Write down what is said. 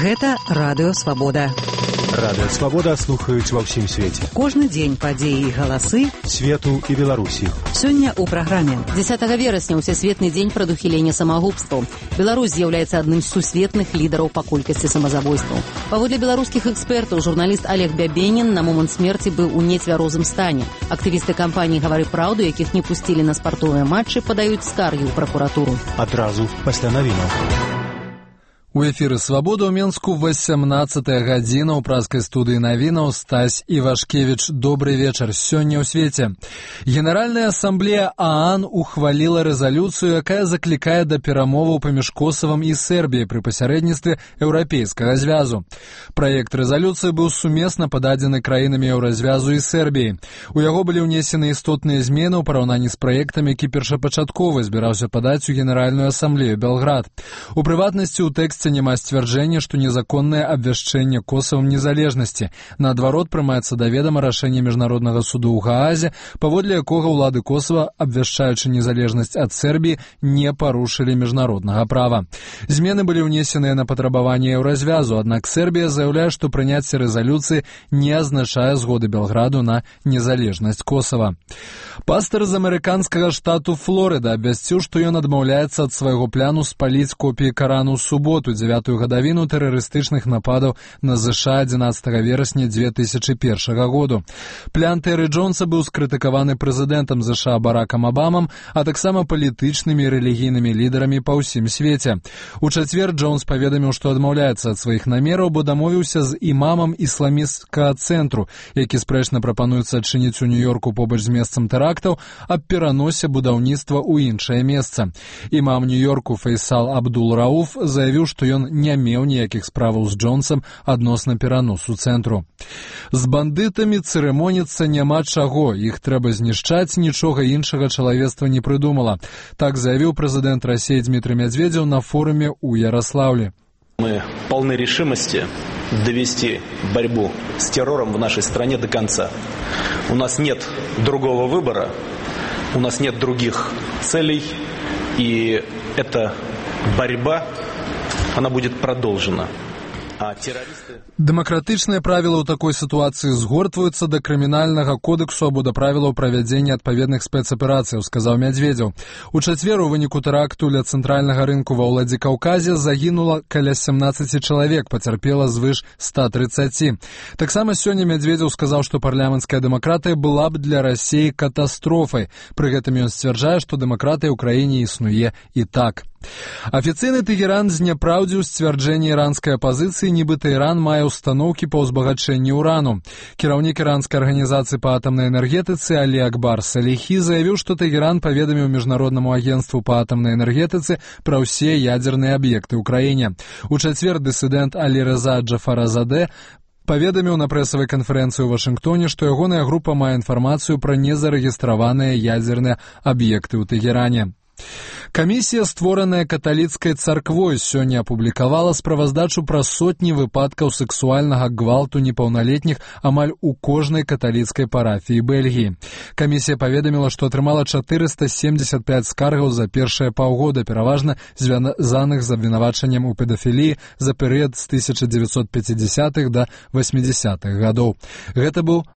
Гэта Радыё Свабода. Радыё Свабода слухаюць ва ўсім свеце. Кожны дзень падзеі і галасы свету і Беларусі. Сёння ў праграме. 10 верасня ўсесветны дзень прадухілення самагубстваў. Беларусь з'яўляецца адным з сусветных лідараў па колькасці самазабойстваў. Паводле беларускіх экспертаў, журналіст Олег Бябенін на момант смерці быў у нецвярозым стане. Актывісты кампаніі «Гавары праўду», якіх не пусцілі на спартовыя матчы, падаюць скаргі ў пракуратуру. Адразу пасля навінаў. У эфіры «Свабода» ў Менску 18-я гадзіна ў празкай студыі навінаў Стась Івашкевіч. Добрый вечар. Сёння ў свеце. Генеральная асамблея ААН ухваліла рэзалюцыю, якая заклікае да перамоваў паміж Косавам і Сербіяй пры пасярэдніцтве Еўрапейскага звязу. Праект рэзалюцыі быў сумесна пададзены краінамі Еўразвязу і Сербіі. У яго былі ўнесены істотныя змены ў параўнанні з праектам, які першапачаткова збіраўся падаць у Генеральную асамблею Белград. У прыватнасці, у тэксце няма сцвярджэння, што незаконнае абвяшчэнне Косавам незалежнасці. Наадварот, прымаецца да ведама рашэнне Міжнароднага суду ў Гаазе, паводле якога ўлады Косава, абвяшчаючы незалежнасць ад Сербіі, не парушылі міжнароднага права. Змены былі ўнесеныя на патрабаванне Еўразвязу, аднак Сербія заяўляе, што прыняцце рэзалюцыі не азначае згоды Белграду на незалежнасць Косава. Пастар з амерыканскага штату Флорыда абвясціў, што ён адмаўляецца ад свайго пляну спаліць копіі Карану ў суботу, 9-ю гадавіну тэрарыстычных нападаў на ЗША 11 верасня 2001 году. Плян Тэры Джонса быў скрытыкаваны прэзідэнтам ЗША Баракам Абамам, а таксама палітычнымі і рэлігійнымі лідарамі па ўсім свеце. У чацвер Джонс паведаміў, што адмаўляецца ад сваіх намераў, бо дамовіўся з імамам ісламісцкага цэнтру, які спрэчна прапануецца адчыніць у Нью-Йорку побач з месцам тэрактаў, аб пераносе будаўніцтва ў іншае месца. Імам Нью-Йорку Фейсал Абдул-Рауф заявіў, што ён не меў ніякіх справаў з Джонсам адносна пераносу цэнтру. З бандытамі цырымоніцца няма чаго, іх трэба знішчаць, нічога іншага чалавецтва не прыдумала. Так заявіў прэзідэнт России Дмитрий Медведев на форуме у Ярославле. Мы полны решимости довести борьбу с террором в нашей стране до конца. У нас нет другого выбора, у нас нет других целей, и эта борьба, она будет продолжена. А террористы... Дэмакратычныя правілы ў такой сітуацыі згортваюцца да крымінальнага кодексу або да правілаў правядзення адпаведных спецаперацыяў, сказаў Мядзведзеў. У чацвер у выніку тэракту ля цэнтральнага рынку ва Ўладзікаўказе загінула каля 17 чалавек, пацярпела звыш 130. Таксама сёння Мядзведзеў сказаў, што парламенцкая дэмакратыя была б для Расіі катастрофай. Пры гэтым ён сцвярджае, што дэмакратыя ў краіне існуе і так. Афіцыйны Тэгеран зняпраўдзіў сцвярджэнне іранскай апазіцыі, нібыта Іран мае установкі па ўзбагачэнні ўрану. Кіраўнік іранскай арганізацыі па атамнай энергетыцы Алі Акбар Саліхі заявіў, што Тэгеран паведаміў Міжнароднаму агенцтву па атамнай энергетыцы пра ўсе ядзерныя аб'екты ў краіне. У чацвер дысідэнт Алі Рэза Джафаразадэ паведаміў на прэсавай канферэнцыі ў Вашынгтоне, што ягоная група мае інфармацыю пра незарэгістраваныя ядзерныя аб'екты ў Тэгеране. Камісія, створаная каталіцкай царквой, сёння апублікавала справаздачу пра сотні выпадкаў сексуальнага гвалту непаўналетніх амаль у кожнай каталіцкай парафіі Бельгіі. Камісія паведаміла, што атрымала 475 скаргаў за першыя паўгода, пераважна звязаных з абвінавачаннем у педафіліі за перыяд з 1950-х да 80-х гадоў. Гэта быў